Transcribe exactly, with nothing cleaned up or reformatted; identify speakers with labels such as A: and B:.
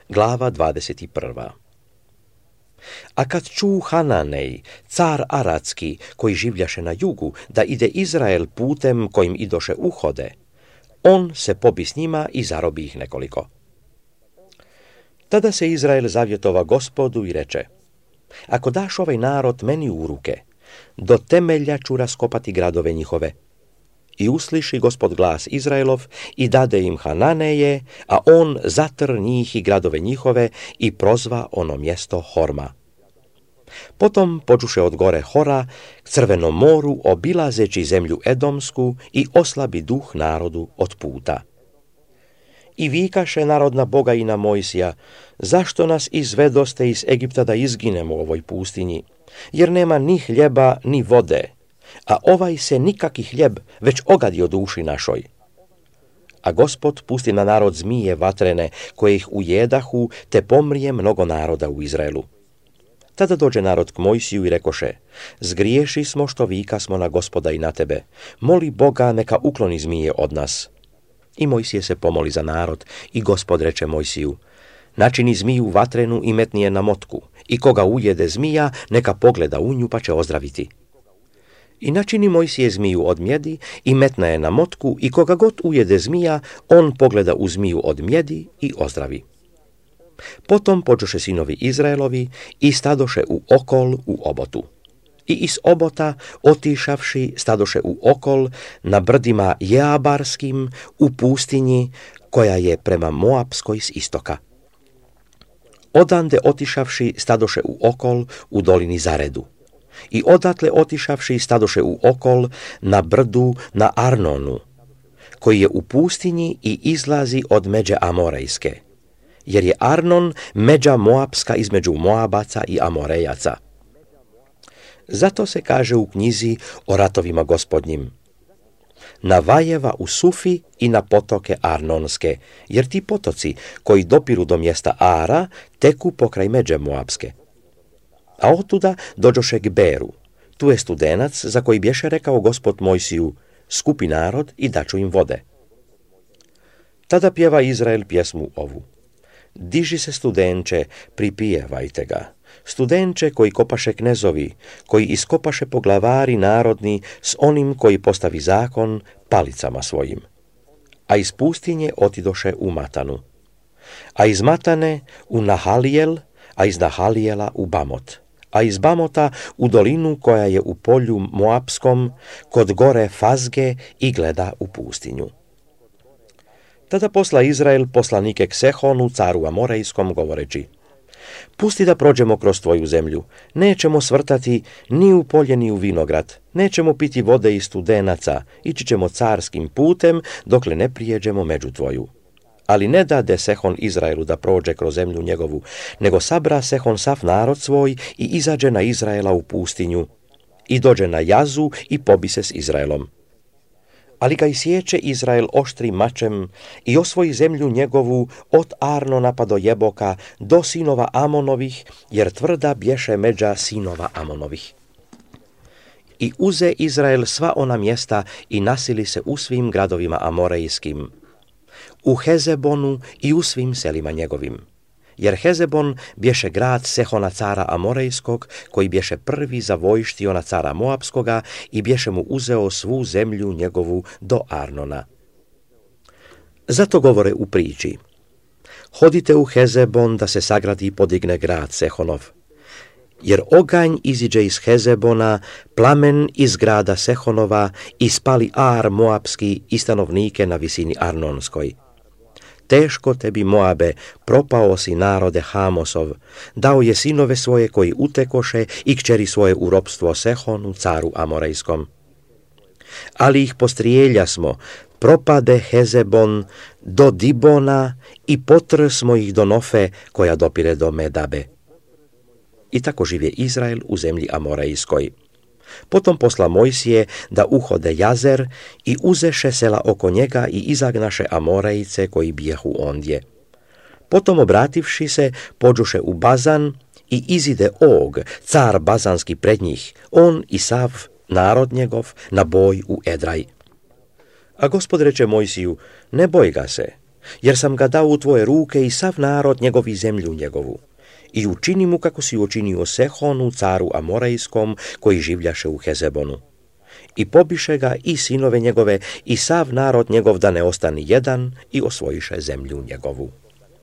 A: Glava dvadeset prva. A kad ču Hananej, car Aradski, koji življaše na jugu, da ide Izrael putem kojim idoše uhode, on se pobi s njima i zarobi ih nekoliko. Tada se Izrael zavjetova Gospodu i reče: ako daš ovaj narod meni u ruke, do temelja ću raskopati gradove njihove. I usliši Gospod glas Izraelov i dade im Hananeje, a on zatr njih i gradove njihove i prozva ono mjesto Horma. Potom počuše od gore Hora k Crvenom moru, obilazeći zemlju Edomsku, i oslabi duh narodu od puta. I vikaše narod na Boga i na Mojsija: zašto nas izvedoste iz Egipta da izginemo u ovoj pustinji, jer nema ni hljeba ni vode, a ovaj se nikaki hljeb već ogadio duši našoj. A Gospod pusti na narod zmije vatrene, koje ih ujedahu, te pomrije mnogo naroda u Izraelu. Tada dođe narod k Mojsiju i rekoše: zgriješi smo što vika smo na Gospoda i na tebe, moli Boga neka ukloni zmije od nas. I Mojsije se pomoli za narod i Gospod reče Mojsiju: načini zmiju vatrenu i metni je na motku, i koga ujede zmija, neka pogleda u nju pa će ozdraviti. I načini Mojsije zmiju od mjedi i metna je na motku, i koga god ujede zmija, on pogleda u zmiju od mjedi i ozdravi. Potom počoše sinovi Izraelovi i stadoše u okol u obotu. I iz obota otišavši stadoše u okol na brdima Jeabarskim u pustinji koja je prema Moapskoj s istoka. Odande otišavši stadoše u okol u dolini Zaredu. I odatle otišavši stadoše u okol na brdu na Arnonu, koji je u pustinji i izlazi od međe Amorejske, jer je Arnon međa Moapska između Moabaca i Amorejaca. Zato se kaže u knjizi o ratovima Gospodnjim: na vajeva u Sufi i na potoke Arnonske, jer ti potoci koji dopiru do mjesta Ara teku pokraj međe Moapske. A otuda dođoše k Beru, tu je studenac za koji bješe rekao Gospod Mojsiju: skupi narod i daću im vode. Tada pjeva Izrael pjesmu ovu: diži se studenče, pripijevajte ga, studenče koji kopaše knezovi, koji iskopaše poglavari narodni s onim koji postavi zakon palicama svojim. A iz pustinje otidoše u Matanu, a iz Matane u Nahalijel, a iz Nahalijela u Bamot, a iz Bamota u dolinu koja je u polju Moapskom, kod gore Fazge, i gleda u pustinju. Tada posla Izrael poslanike k Sehonu, caru Amorejskom, govoreći: pusti da prođemo kroz tvoju zemlju, nećemo svrtati ni u polje ni u vinograd, nećemo piti vode iz studenaca, ići ćemo carskim putem dokle ne prijeđemo među tvoju. Ali ne dade Sehon Izraelu da prođe kroz zemlju njegovu, nego sabra Sehon sav narod svoj i izađe na Izraela u pustinju, i dođe na Jazu i pobi se s Izraelom. Ali ga isječe Izrael oštrim mačem i osvoji zemlju njegovu od Arnona pa do Jeboka, do sinova Amonovih, jer tvrda bješe međa sinova Amonovih. I uze Izrael sva ona mjesta i nasili se u svim gradovima Amorejskim, u Hezebonu i u svim selima njegovim. Jer Hezebon bješe grad Sehona cara Amorejskog, koji bješe prvi zavojštio na cara Moapskoga i bješe mu uzeo svu zemlju njegovu do Arnona. Zato govore u priči: hodite u Hezebon da se sagradi i podigne grad Sehonov. Jer oganj iziđe iz Hezebona, plamen iz grada Sehonova, i spali Ar Moapski i stanovnike na visini Arnonskoj. Teško tebi, Moabe, propao si narode Hamosov, dao je sinove svoje koji utekoše i kćeri svoje u ropstvo Sehonu, caru Amorejskom. Ali ih postrijelja smo, propade Hezebon do Dibona i potr smo ih do Nofe, koja dopire do Medabe. I tako živje Izrael u zemlji Amorejskoj. Potom posla Mojsije da uhode Jazer i uzeše sela oko njega i izagnaše Amorejce koji bijahu ondje. Potom obrativši se, pođuše u Bazan i izide Og, car Bazanski pred njih, on i sav narod njegov, na boj u Edraj. A Gospod reče Mojsiju: ne boj ga se, jer sam ga dao u tvoje ruke i sav narod njegov i zemlju njegovu. I učini mu kako si učinio Sehonu, caru Amorejskom, koji življaše u Hezebonu. I pobiše ga i sinove njegove i sav narod njegov da ne ostani jedan i osvojiše zemlju njegovu.